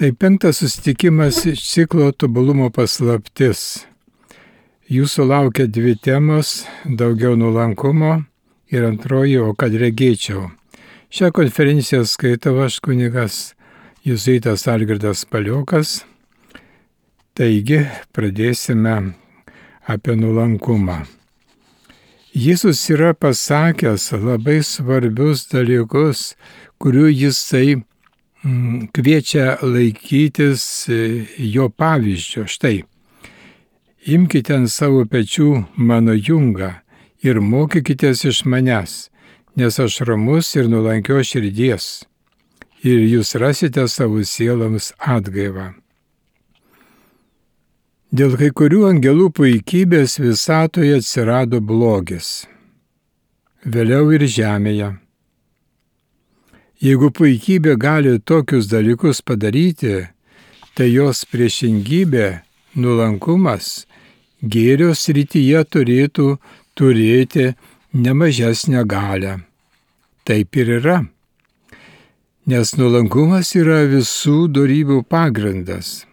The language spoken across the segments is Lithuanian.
Tai 5 susitikimas iš ciklo tobulumo paslaptis. Jūsų laukia 2 temos - daugiau nuolankumo ir antroji, o kad regėčiau. Šią konferenciją skaitau aš kunigas jėzuitas Algirdas Paliokas. Taigi pradėsime apie nuolankumą. Jėzus yra pasakęs labai svarbius dalykus, kurių jisai kviečia laikytis jo pavyzdžio. Štai, imkite ant savo pečių mano jungą ir mokykitės iš manęs, nes aš ramus ir nuolankios širdies, ir jūs rasite savo sieloms atgaivą. Dėl kai kurių angelų puikybės visatoje atsirado blogis, vėliau ir žemėje. Jeigu puikybė gali tokius dalykus padaryti, tai jos priešingybė, nuolankumas, gėrio srityje turėtų turėti nemažesnę galią. Taip ir yra, nes nuolankumas yra visų dorybių pagrindas.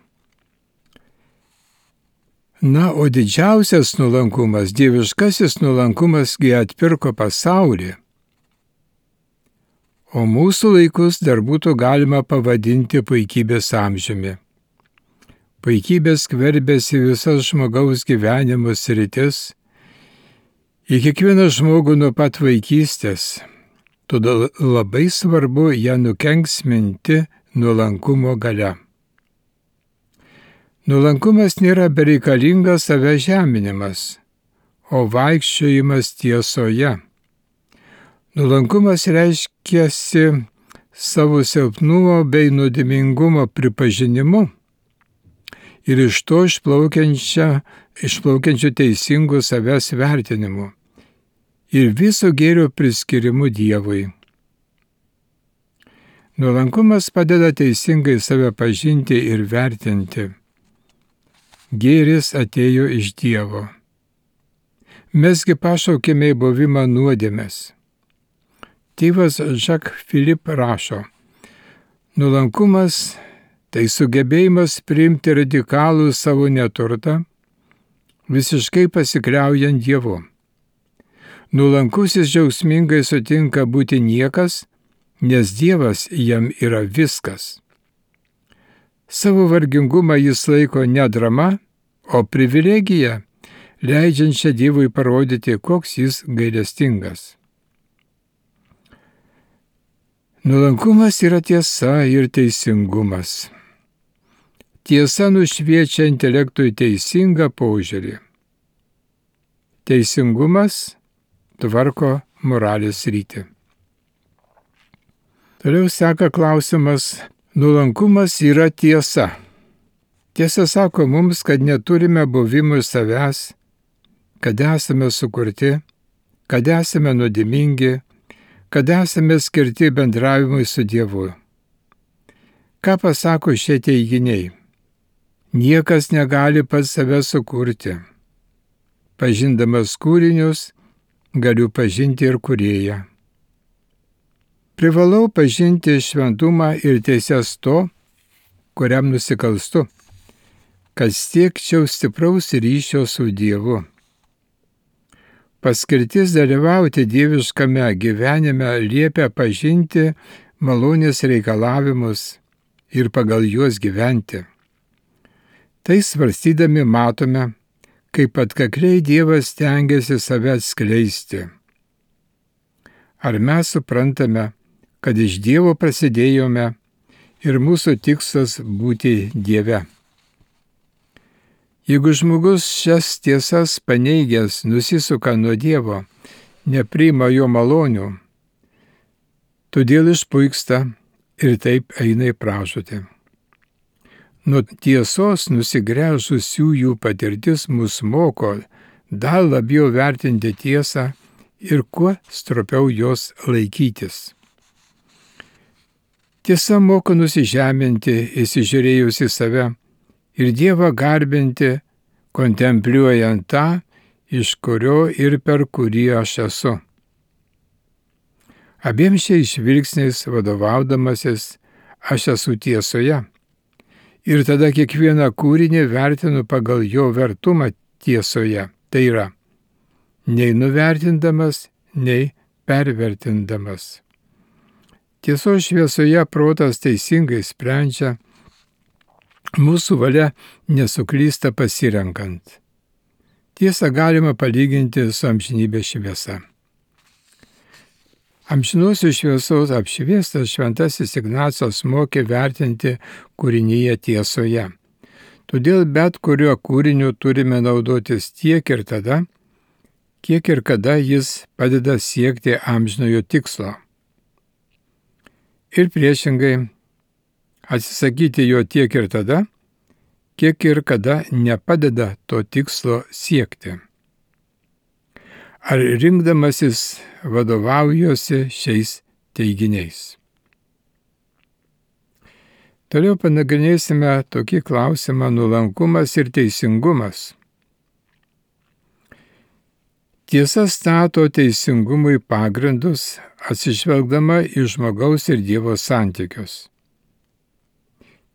Na, o didžiausias nuolankumas, dieviškasis nuolankumasgi atpirko pasaulį. O mūsų laikus dar būtų galima pavadinti puikybės amžiumi. Puikybė skverbėsi visas žmogaus gyvenimo sritis, į kiekvieną žmogų nuo pat vaikystės. Todėl labai svarbu ją nukenksminti nuolankumo galia. Nuolankumas nėra bereikalingas save žeminimas, o vaikščiojimas tiesoje. Nuolankumas reiškiasi savo silpnumo bei nuodėmingumo pripažinimu ir iš to išplaukiančių teisingų savęs vertinimu ir viso gėrio priskirimu Dievui. Nuolankumas padeda teisingai save pažinti ir vertinti. Gėris atėjo iš Dievo. Mesgi pašaukėme į buvimą nuodėmės. Tėvas Jacques Philippe rašo, nuolankumas tai sugebėjimas priimti radikalų savo neturtą, visiškai pasikliaujant Dievu. Nuolankusis džiaugsmingai sutinka būti niekas, nes Dievas jam yra viskas. Savo vargingumą jis laiko ne drama, o privilegija, leidžiančia Dievui parodyti, koks jis gailestingas. Nuolankumas yra tiesa ir teisingumas. Tiesa nušviečia intelektui teisingą požiūrį. Teisingumas tvarko moralės sritį. Toliau seka klausimas. Nuolankumas yra tiesa. Tiesa sako mums, kad neturime buvimo savęs, kad esame sukurti, kad esame nuodėmingi, kad esame skirti bendravimui su Dievu. Ką pasako šie teiginiai? Niekas negali pats save sukurti. Pažindamas kūrinius, galiu pažinti ir kūrėją. Privalau pažinti šventumą ir teises to, kuriam nusikalstu, kad siekčiau stipraus ryšio su Dievu. Paskirtis dalyvauti dieviškame gyvenime liepia pažinti malonės reikalavimus ir pagal juos gyventi. Tai svarstydami matome, kaip atkakliai Dievas stengiasi save atskleisti. Ar mes suprantame, kad iš Dievo prasidėjome ir mūsų tikslas būti Dieve? Jeigu žmogus šias tiesas paneigęs nusisuka nuo Dievo, nepriima jo malonių, todėl išpuiksta ir taip eina į pražūtį. Nuo tiesos nusigręžusiųjų patirtis mus moko dar labiau vertinti tiesą ir kuo stropiau jos laikytis. Tiesa moko nusižeminti, įsižiūrėjus į save, ir Dievą garbinti, kontempliuojant tą, iš kurio ir per kurį aš esu. Abiem šiais žvilgsniais vadovaudamasis, aš esu tiesoje, Ir tada kiekvieną kūrinį vertinu pagal jo vertumą tiesoje. Tai yra, nei nuvertindamas, nei pervertindamas. Tiesos šviesoje protas teisingai sprendžia, mūsų valia nesuklysta pasirenkant. Tiesą galima palyginti su amžinybės šviesa. Amžinosios šviesos apšviestas šventasis Ignacas mokė vertinti kūrinyje tiesoje. Todėl bet kuriuo kūriniu turime naudotis tiek ir tada, kiek ir kada jis padeda siekti amžinojo tikslo. Ir priešingai, atsisakyti jo tiek ir tada, kiek ir kada nepadeda to tikslo siekti. Ar rinkdamasis vadovaujuosi šiais teiginiais? Toliau panagrinėsime tokį klausimą: nuolankumas ir teisingumas. Tiesa stato teisingumui pagrindus, atsižvelgdama į žmogaus ir Dievo santykius.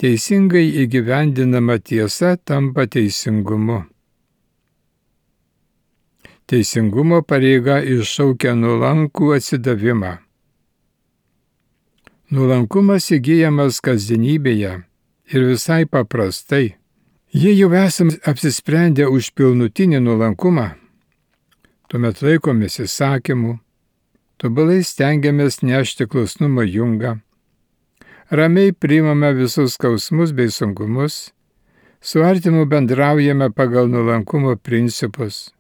Teisingai įgyvendinama tiesa tampa teisingumu. Teisingumo pareiga iššaukia nuolankų atsidavimą. Nuolankumas įgyjamas kasdienybėje ir visai paprastai. Jei jau esame apsisprendę už pilnutinį nuolankumą, tuomet laikomės įsakymų, tobulai stengiamės nešti klusnumo jungą, ramiai priimame visus skausmus bei sunkumus, su artimu bendraujame pagal nuolankumo principus,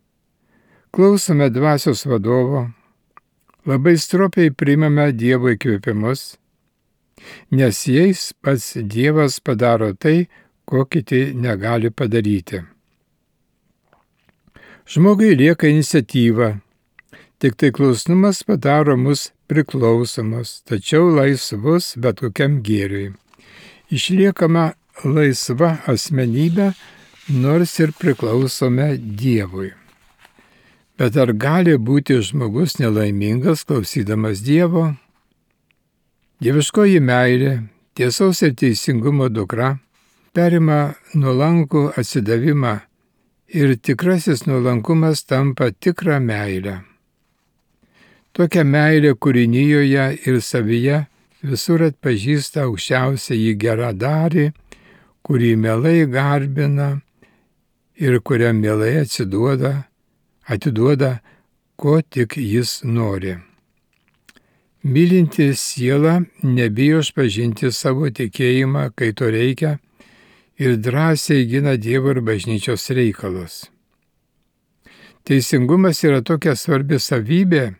klausome dvasios vadovo, labai stropiai priimame Dievo įkvėpimus, nes jais pats Dievas padaro tai, ko kiti negali padaryti. Žmogui lieka iniciatyva, tik tai klusnumas padaro mus priklausomus, tačiau laisvus bet kokiam gėriui. Išliekama laisva asmenybė, nors ir priklausome Dievui. Bet ar gali būti žmogus nelaimingas klausydamas Dievo? Dieviškoji meilė, tiesos ir teisingumo dukra, perima nuolankų atsidavimą ir tikrasis nuolankumas tampa tikrą meilę. Tokią meilę kūrinijoje ir savyje visur atpažįsta aukščiausiąjį geradarį, kurį mielai garbina ir kuriam mielai atiduoda, ko tik jis nori. Mylinti siela nebijo išpažinti savo tikėjimą, kai to reikia, ir drąsiai gina Dievo ir bažnyčios reikalus. Teisingumas yra tokia svarbi savybė,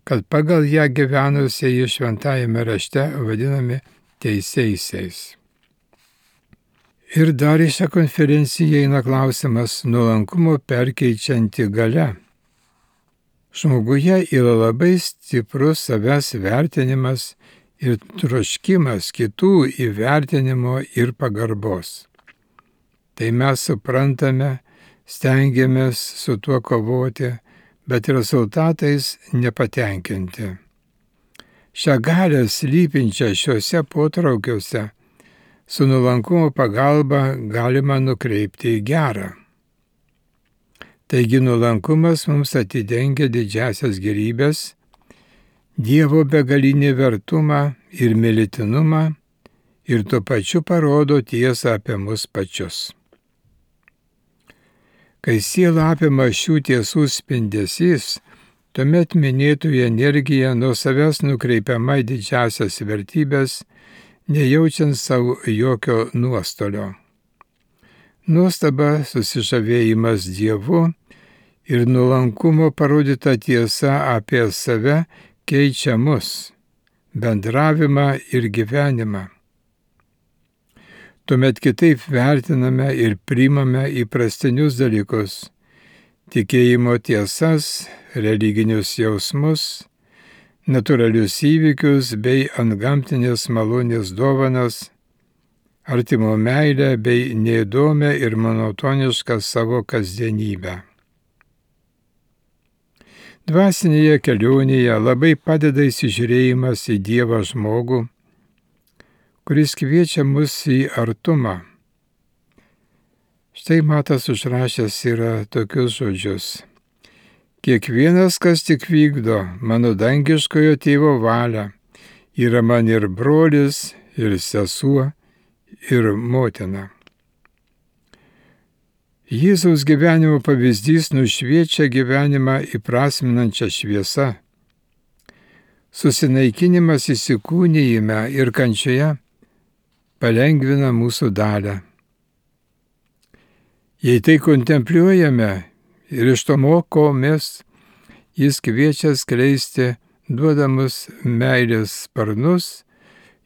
kad pagal ją gyvenusieji šventajame rašte vadinami teisėjaisiais. Ir dar į šią konferenciją eina klausimas: nuolankumo perkeičianti galia. Žmoguje yra labai stiprus savęs vertinimas ir troškimas kitų įvertinimo ir pagarbos. Tai mes suprantame, stengiamės su tuo kovoti, bet rezultatais nepatenkinti. Šią galią slypinčią šiuose potraukiuose su nuolankumo pagalba galima nukreipti į gerą. Taigi nuolankumas mums atidengia didžiasias gėrybės, Dievo begalinį vertumą ir mylėtinumą ir tuo pačiu parodo tiesą apie mus pačius. Kai siela apima šių tiesų spindesys, tuomet minėtoji energija nuo savęs nukreipiama į didžiasias vertybės, nejaučiant savo jokio nuostolio. Nuostaba, susižavėjimas Dievu ir nuolankumo parodyta tiesa apie save keičia mus, bendravimą ir gyvenimą. Tuomet kitaip vertiname ir priimame įprastinius dalykus, tikėjimo tiesas, religinius jausmus, natūralius įvykius bei antgamtinės malonės dovanas, artimo meilę bei neįdomią ir monotonišką savo kasdienybę. Dvasinėje kelionėje labai padeda įsižiūrėjimas į Dievą žmogų, kuris kviečia mus į artumą, Štai Matas užrašęs yra tokius žodžius. Kiekvienas, kas tik vykdo mano dangiškojo tėvo valią, yra man ir brolis, ir sesuo, ir motina. Jėzaus gyvenimo pavyzdys nušviečia gyvenimą įprasminančią šviesą. Susinaikinimas įsikūnijime ir kančioje palengvina mūsų dalią. Jei tai kontempliuojame ir iš to mokomės, jis kviečia skleisti duodamus meilės sparnus,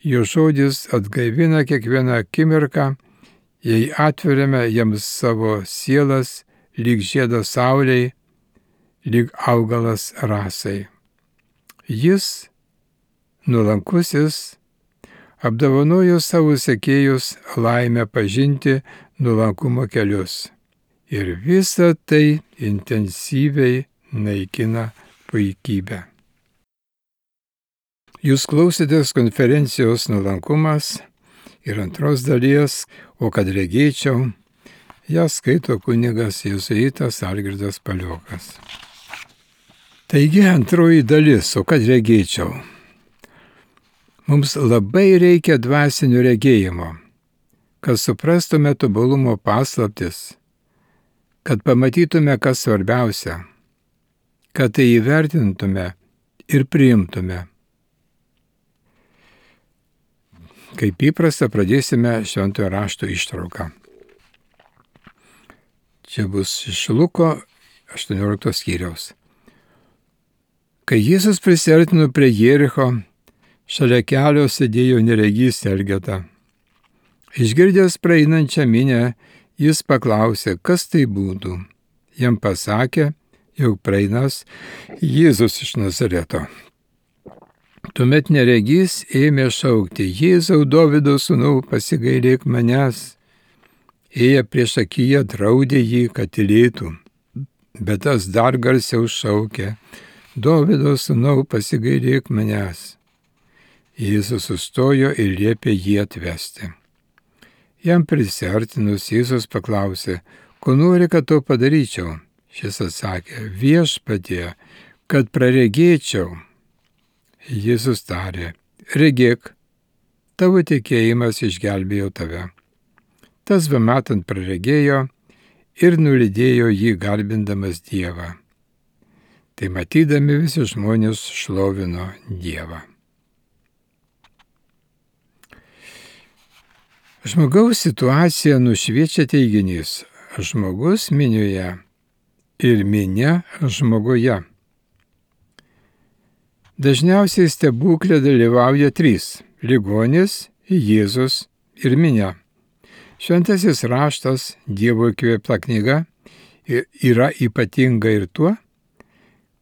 jo žodis atgaivina kiekvieną akimirką, jei atveriame jiems savo sielas, lyg žiedas saulei, lyg augalas rasai. Jis, nuolankusis, apdovanojo savo sekėjus laimę pažinti nuolankumo kelius. Ir visa tai intensyviai naikina puikybę. Jūs klausėtės konferencijos Nuolankumas ir antros dalies, o kad regėčiau, ją skaito kunigas jėzuitas Algirdas Paliokas. Taigi antroji dalis, o kad regėčiau. Mums labai reikia dvasinio regėjimo, kad suprastume tobulumo paslaptis, kad pamatytume, kas svarbiausia, kad tai įvertintume ir priimtume. Kaip įprasta, pradėsime Šventojo rašto ištrauką. Čia bus iš Luko 18 skyriaus. Kai Jėzus prisiartino prie Jericho, šalia kelio sėdėjo neregys Elgeta. Išgirdęs praeinančią minią, jis paklausė, kas tai būtų. Jam pasakė, jog praeinas Jėzus iš Nazareto. Tuomet neregys ėmė šaukti, Jėzau, Dovydo sūnau, pasigailėk manęs. Ėję prieš akiją draudė jį, kad tylėtų, bet tas dar garsiau šaukė, Dovydo sūnau, pasigailėk manęs. Jėzus sustojo ir liepė jį atvesti. Jam prisiartinus Jėzus paklausė, ko nori, kad to padaryčiau. Šis atsakė, Viešpatie, kad praregėčiau. Jėzus tarė, regėk, tavo tikėjimas išgelbėjo tave. Tas bematant praregėjo ir nulydėjo jį garbindamas Dievą. Tai matydami visi žmonės šlovino Dievą. Žmogaus situaciją nušviečia teiginys žmogus minioje ir minia žmoguje. Dažniausiai stebuklė dalyvauja trys – ligonis, Jėzus ir minia. Šventasis raštas, Dievo įkvėpta knyga, yra ypatinga ir tuo,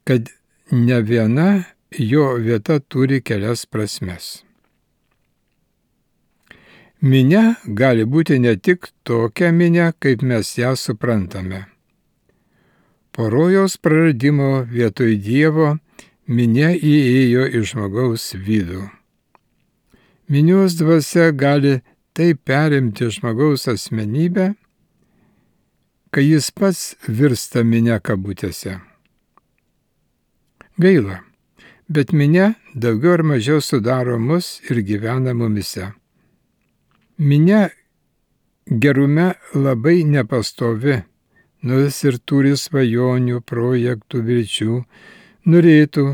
kad ne viena jo vieta turi kelias prasmes. Minia gali būti ne tik tokia minia, kaip mes ją suprantame. Po rojaus praradimo vietoj Dievo minia įėjo į žmogaus vidų. Minios dvasia gali taip perimti žmogaus asmenybę, kai jis pats virsta minia kabutėse. Gaila, bet minia daugiau ar mažiau sudaro mus ir gyvena mumise. Minia gerume labai nepastovi, nors ir turi svajonių, projektų, vilčių, norėtų,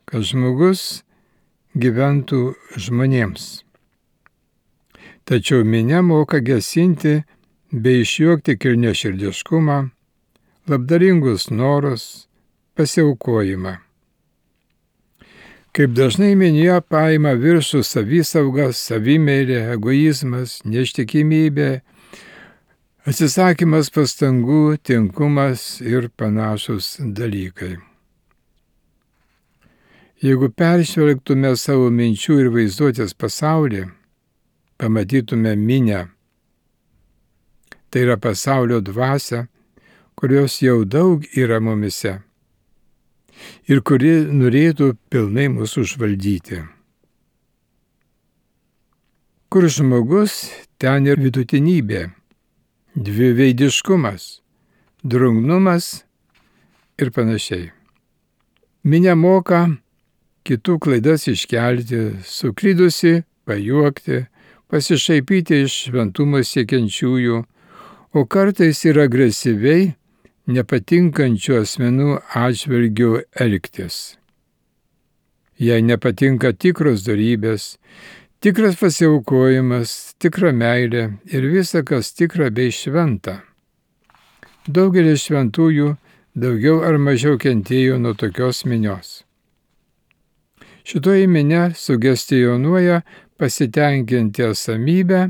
kad žmogus gyventų žmonėms. Tačiau minia moka gesinti bei išjuokti kilniaširdiškumą, labdaringus norus, pasiaukojimą. Kaip dažnai minija paima viršų savisauga, savimeilė, egoizmas, neištikimybė, atsisakymas pastangų, tinkumas ir panašus dalykai. Jeigu peržvelgtume savo minčių ir vaizduotės pasaulį, pamatytume minią. Tai yra pasaulio dvasia, kurios jau daug yra mumise ir kuri norėtų pilnai mūsų užvaldyti. Kur žmogus, ten ir vidutinybė, dviveidiškumas, drungnumas ir panašiai. Minia moka kitų klaidas iškelti, suklydusi pajuokti, pasišaipyti iš šventumo siekiančiųjų, o kartais ir agresyviai nepatinkančių asmenų atžvilgių elgtis. Jei nepatinka tikros dorybės, tikras pasiaukojimas, tikra meilė ir visa, kas tikra bei šventa. Daugelis šventųjų daugiau ar mažiau kentėjo nuo tokios minios. Šitoji minia sugestionuoja pasitenkinti esamybę,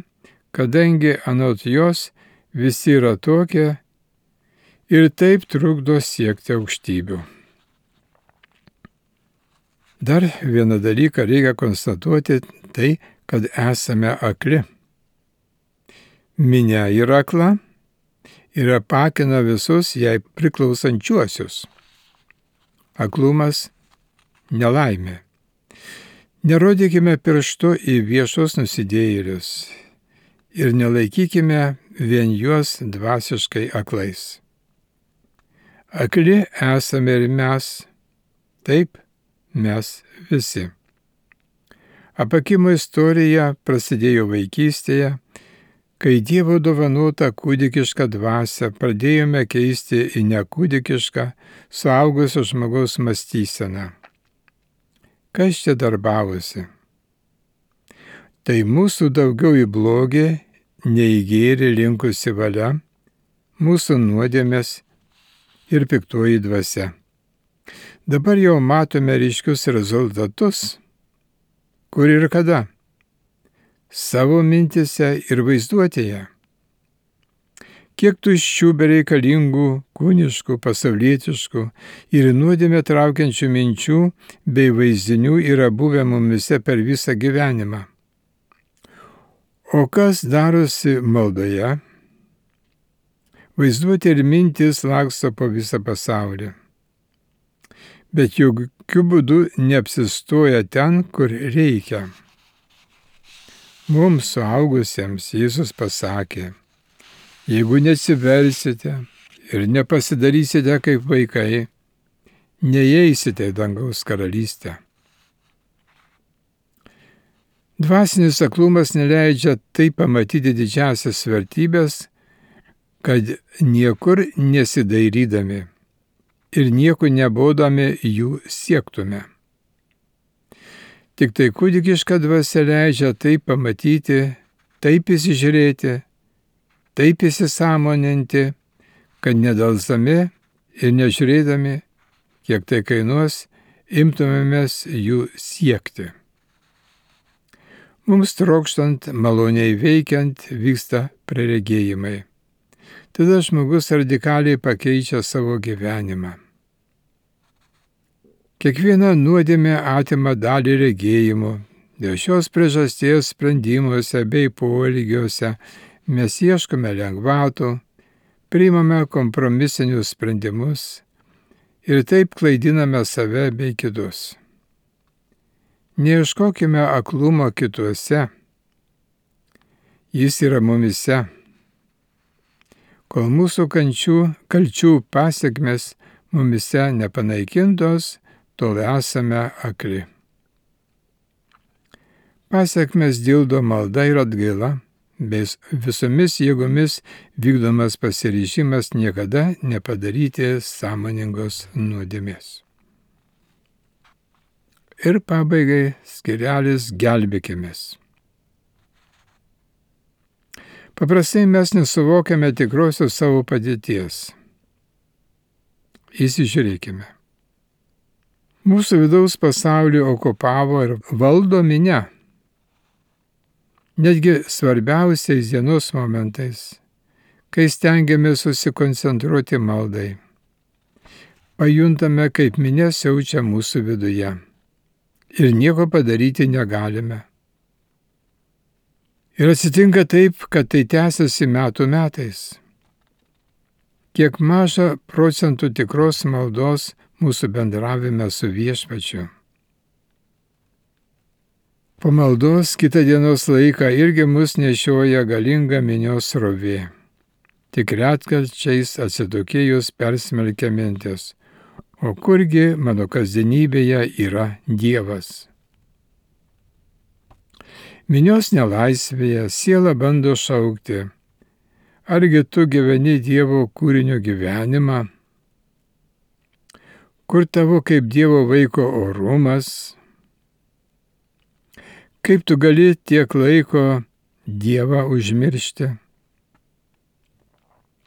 kadangi anot jos visi yra tokie ir taip trukdo siekti aukštybių. Dar vieną dalyką reikia konstatuoti, tai, kad esame akli. Minia yra akla ir apakina visus jai priklausančiuosius. Aklumas – nelaimė. Nerodykime pirštu į viešus nusidėjėlius ir nelaikykime vien juos dvasiškai aklais. Akli esame ir mes, taip mes visi. Apakimo istorija prasidėjo vaikystėje, kai Dievo dovanotą kūdikišką dvasią pradėjome keisti į nekūdikišką, suaugusio žmogaus mąstyseną. Kas čia darbavosi? Tai mūsų daugiau į blogį, nei į gėrį linkusi valia, mūsų nuodėmės ir piktoji dvasia. Dabar jau matome ryškius rezultatus, kur ir kada. Savo mintise ir vaizduotėje. Kiek tuščių bereikalingų, kūniškų, pasaulietiškų ir nuodėmę traukiančių minčių bei vaizdinių yra buvę mumise per visą gyvenimą. O kas darosi maldoje? Vaizduotė ir mintis laksto po visą pasaulį. Bet jokių būdų neapsistoja ten, kur reikia. Mums suaugusiems Jėzus pasakė, jeigu nesiversite ir nepasidarysite kaip vaikai, neįeisite į dangaus karalystę. Dvasinis aklumas neleidžia taip pamatyti didžiasias vertybės, kad niekur nesidairydami ir nieko nebodami jų siektume. Tik tai kūdikiška dvasia leidžia taip pamatyti, taip įsižiūrėti, taip įsisąmoninti, kad nedelsdami ir nežiūrėdami, kiek tai kainuos, imtumėmės jų siekti. Mums trokštant, maloniai veikiant, vyksta praregėjimai. Tada žmogus radikaliai pakeičia savo gyvenimą. Kiekviena nuodėmė atima dalį regėjimų. Dėl šios priežasties sprendimuose bei poelgiuose mes ieškome lengvatų, priimame kompromisinius sprendimus ir taip klaidiname save bei kitus. Neieškokime aklumo kituose. Jis yra mumise. Kol mūsų kalčių pasekmes mumise nepanaikintos, tol esame akli. Pasekmes dildo malda ir atgaila, bei visomis jėgomis vykdomas pasiryžimas niekada nepadaryti sąmoningos nuodėmės. Ir pabaigai skirelis gelbėkimės. Paprastai mes nesuvokiame tikrosios savo padėties. Įsižiūrėkime. Mūsų vidaus pasaulį okupavo ir valdo minia. Netgi svarbiausiais dienos momentais, kai stengiamės susikoncentruoti maldai, pajuntame, kaip minia siaučia mūsų viduje ir nieko padaryti negalime. Ir atsitinka taip, kad tai tęsiasi metų metais. Kiek maža procentų tikros maldos mūsų bendravime su Viešpačiu. Po maldos kitą dienos laiką irgi mus nešioja galinga minios srovė. tik retkarčiais atsitokėjus persmelkia mintis. O kurgi mano kasdienybėje yra Dievas? Minios nelaisvėje siela bando šaukti. Argi tu gyveni Dievo kūrinio gyvenimą? Kur tavo kaip Dievo vaiko orumas? Kaip tu gali tiek laiko Dievą užmiršti?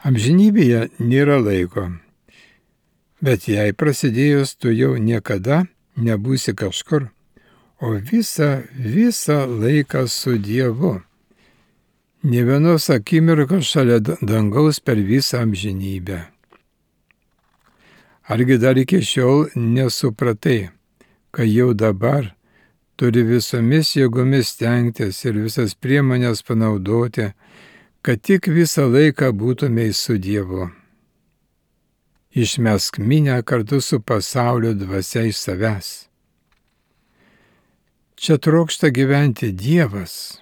Amžinybėje nėra laiko, bet jei prasidėjus, tu jau niekada nebūsi kažkur, o visą laiką su Dievu. Nė vienos akimirkos šalia dangaus per visą amžinybę. Argi dar iki šiol nesupratai, kad jau dabar turi visomis jėgomis stengtis ir visas priemonės panaudoti, kad tik visą laiką būtumei su Dievu. Išmesk minę kartu su pasaulio dvasia iš savęs. Čia trokšta gyventi Dievas.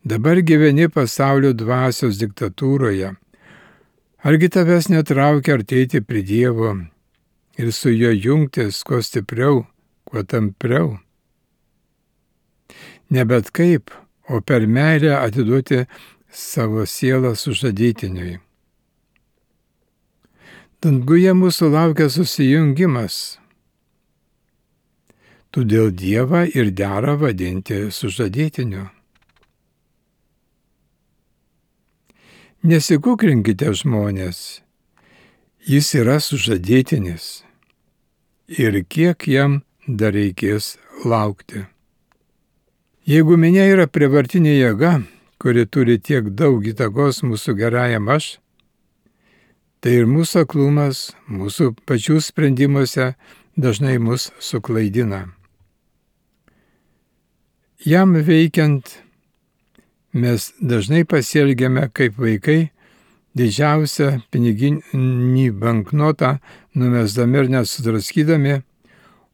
Dabar gyveni pasaulio dvasios diktatūroje. Argi tavęs netraukia artėti prie Dievo ir su juo jungtis kuo stipriau, kuo tampriau? Ne bet kaip, o per meilę atiduoti savo sielą sužadėtiniui. Danguje mūsų laukia susijungimas. Todėl Dievą ir dera vadinti sužadėtiniu. Nesikukrinkite žmonės, jis yra sužadėtinis ir kiek jam dar reikės laukti. Jeigu minia yra prievartinė jėga, kuri turi tiek daug įtakos mūsų gerajam aš, tai ir mūsų aklumas, mūsų pačių sprendimuose dažnai mus suklaidina. Jam veikiant, mes dažnai pasielgiame kaip vaikai, didžiausią piniginį banknotą numesdami ir nesudraskydami,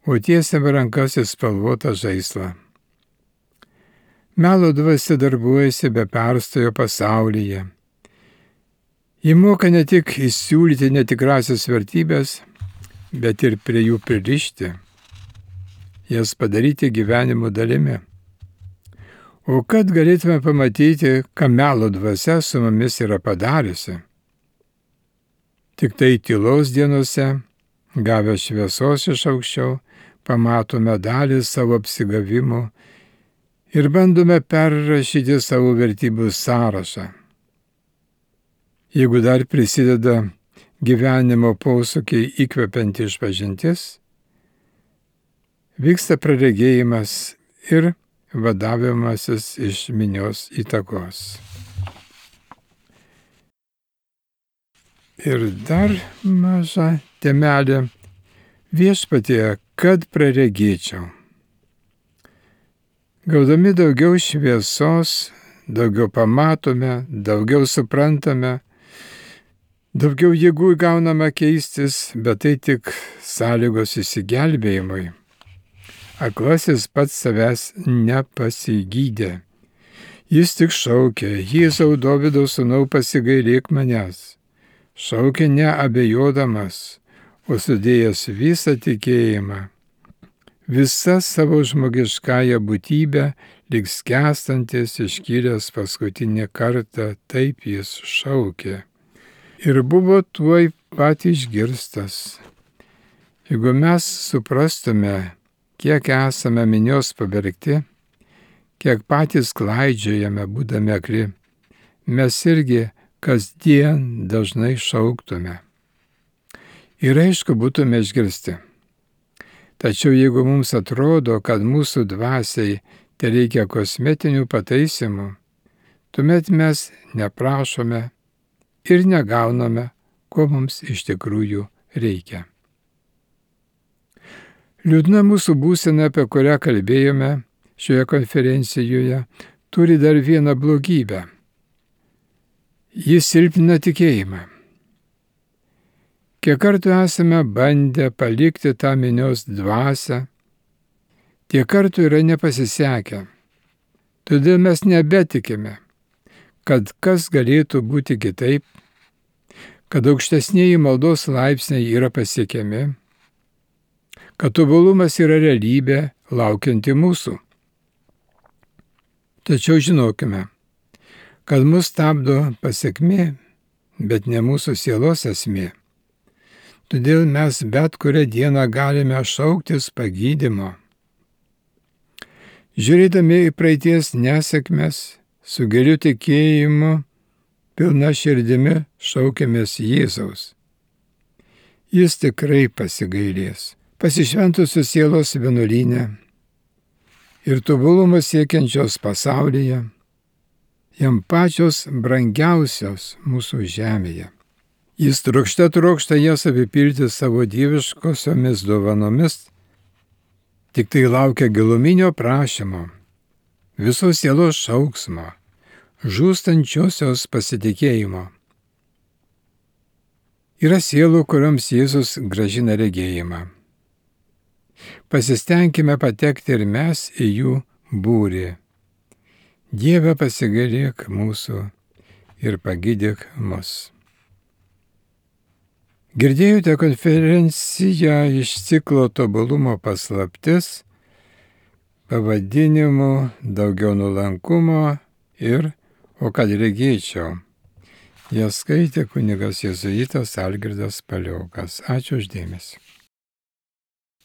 o tiesiame rankas į spalvotą žaislą. Melo dvasia darbuojasi be perstojo pasaulyje. Ji moka ne tik įsiūlyti netikrasias vertybės, bet ir prie jų pririšti, jas padaryti gyvenimo dalimi. O kad galėtume pamatyti, ką melo dvasia su mumis yra padariusi? Tik tai tylos dienose, gavę šviesos iš aukščiau, pamatome dalį savo apsigavimų ir bandome perrašyti savo vertybių sąrašą. Jeigu dar prisideda gyvenimo posūkiai įkvepianti išpažintis, vyksta praregėjimas ir vadavimasis iš minios įtakos. Ir dar maža temelė viešpatie, kad praregėčiau. Gaudami daugiau šviesos, daugiau pamatome, daugiau suprantame, daugiau jėgų įgauname keistis, bet tai tik sąlygos išsigelbėjimui. Aklasis pats savęs nepasigydė. Jis tik šaukė, Jėzau Dovydo sūnau pasigailėk manęs. Šaukė neabejodamas, o sudėjęs visą tikėjimą. Visa savo žmogiškąją būtybę, lyg skęstantis iškilęs paskutinį kartą, taip jis šaukė. Ir buvo tuoj pat išgirstas. Jeigu mes suprastume, kiek esame minios pavergti, kiek patys klaidžiojame būdami akli, mes irgi kasdien dažnai šauktume. Ir aišku, būtume išgirsti. Tačiau jeigu mums atrodo, kad mūsų dvasiai tai reikia kosmetinių pataisimų, tuomet mes neprašome ir negauname, ko mums iš tikrųjų reikia. Liūdna mūsų būsena, apie kurią kalbėjome šioje konferencijoje, turi dar vieną blogybę. Jis silpnina tikėjimą. Kiek kartų esame bandę palikti tą minios dvasią, tiek kartų yra nepasisekę. Todėl mes nebetikime, kad kas galėtų būti kitaip, kad aukštesnėji maldos laipsniai yra pasiekiami, kad tobulumas yra realybė laukianti mūsų. Tačiau žinokime, kad mus stabdo pasiekmė, bet ne mūsų sielos esmė. Todėl mes bet kurią dieną galime šauktis pagydymo. Žiūrėdami į praeities nesėkmes, su giliu tikėjimu, pilna širdimi šaukiamės Jėzaus. Jis tikrai pasigailės, pasišventusios sielos vienuolyne ir tobulumo siekiančios pasaulyje, jam pačios brangiausios mūsų žemėje. Jis trokšta jas apipilti savo dieviškosiomis dovanomis, tik tai laukia giluminio prašymo, visos sielos šauksmo, žūstančiosios pasitikėjimo. Yra sielų, kuriams Jėzus grąžina regėjimą. Pasistengime patekti ir mes į jų būrį. Dieve, pasigailėk mūsų ir pagydyk mus. Girdėjote konferenciją iš ciklo Tobulumo paslaptis pavadinimu Daugiau nuolankumo ir O kad regėčiau. Ją skaitė kunigas jėzuitas Algirdas Paliokas. Ačiū už dėmesį.